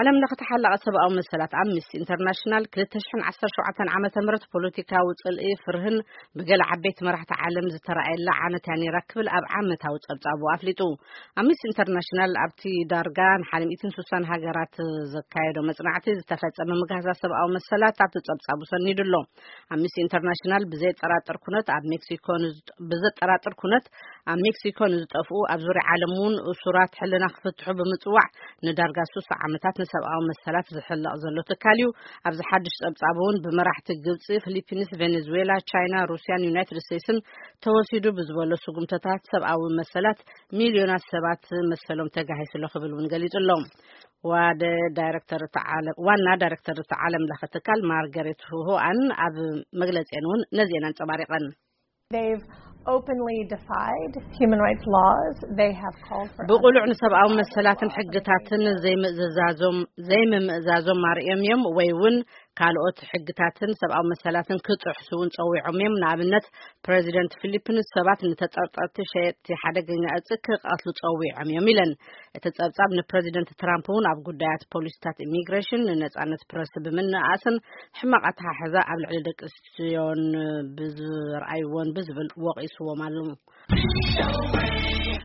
ዓለም ለኸ ተሓላቐ ሰብኣዊ መሰላት ኣምነስቲ ኢንተርናሽናል ክልተ ሽሕን ዓሰርተ ሸውዓተን ዓመተ ምህረት ፖለቲካዊ ጽልኢ ፍርህን ብገለ ዓበይቲ መራሕቲ ዓለም ዝተራእየላ ዓመት እያ ነይራ ክብል ኣብ ዓመታዊ ጸብጻቡ ኣፍሊጡ። ኣምነስቲ ኢንተርናሽናል ኣብቲ ዳርጋ ንሓደ ሚእትን ስሳን ሃገራት ዘካየዶ መጽናዕቲ ዝተፈጸመ ምግሃሳ ሰብኣዊ መሰላት ኣብቲ ጸብጻቡ ሰኒዱ ኣሎ። ኣምነስቲ ኢንተርናሽናል ብዘየጠራጥር ኩነት ኣብ ሜክሲኮ ንዝጠ- ብዘጠራጥር ኩነት ኣብ ሜክሲኮ ንዝጠፍኡ ኣብ ዙርያ ዓለም እውን እሱራት ሕልና ክፍትሑ ብምጽዋዕ ንዳርጋ ስሳ ዓመታት ንሰብኣዊ መሰላት ዝሕለቕ ዘሎ ትካል እዩ። ኣብዚ ሓድሽ ጸብጻብ እውን ብመራሕቲ ግብጺ፣ ፊሊፒንስ፣ ቬኔዙዌላ፣ ቻይና፣ ሩስያን ዩናይትድ ስቴትስን ተወሲዱ ብዝበሎ ስጉምተታት ሰብኣዊ መሰላት ሚልዮናት ሰባት መሰሎም ተጋሂሱ ኣሎ ክብል እውን ገሊጹ ኣሎ። ዋደ ዳይሬክተር እቲ ዓለም ዋና ዳይሬክተር እቲ ዓለም ለኸ ትካል ማርገሬት ሁኣን ኣብ መግለጺአን እውን ነዚአን ኣንጸባሪቐን። They've openly defied human rights laws. They have called for ብቑሉዕ ንሰብኣዊ መሰላትን ሕግታትን ዘይምእዝዛዞም ዘይምምእዛዞም ኣርእዮም እዮም ወይ እውን ካልኦት ሕግታትን ሰብኣዊ መሰላትን ክጥሕሱ እውን ጸዊዖም እዮም። ንኣብነት ፕሬዚደንት ፊሊፒንስ ሰባት ንተጠርጠርቲ ሸየጥቲ ሓደገኛ እጽ ክቐትሉ ጸዊዖም እዮም ኢለን። እቲ ጸብጻብ ንፕሬዚደንት ትራምፕ እውን ኣብ ጉዳያት ፖሊሲታት ኢሚግሬሽን፣ ንነጻነት ፕረስ ብምንኣስን ሕማቕ ኣተሓሕዛ ኣብ ልዕሊ ደቂ ኣንስትዮን ብዝርኣይዎን ብዝብል ወቒስዎም ኣሎ።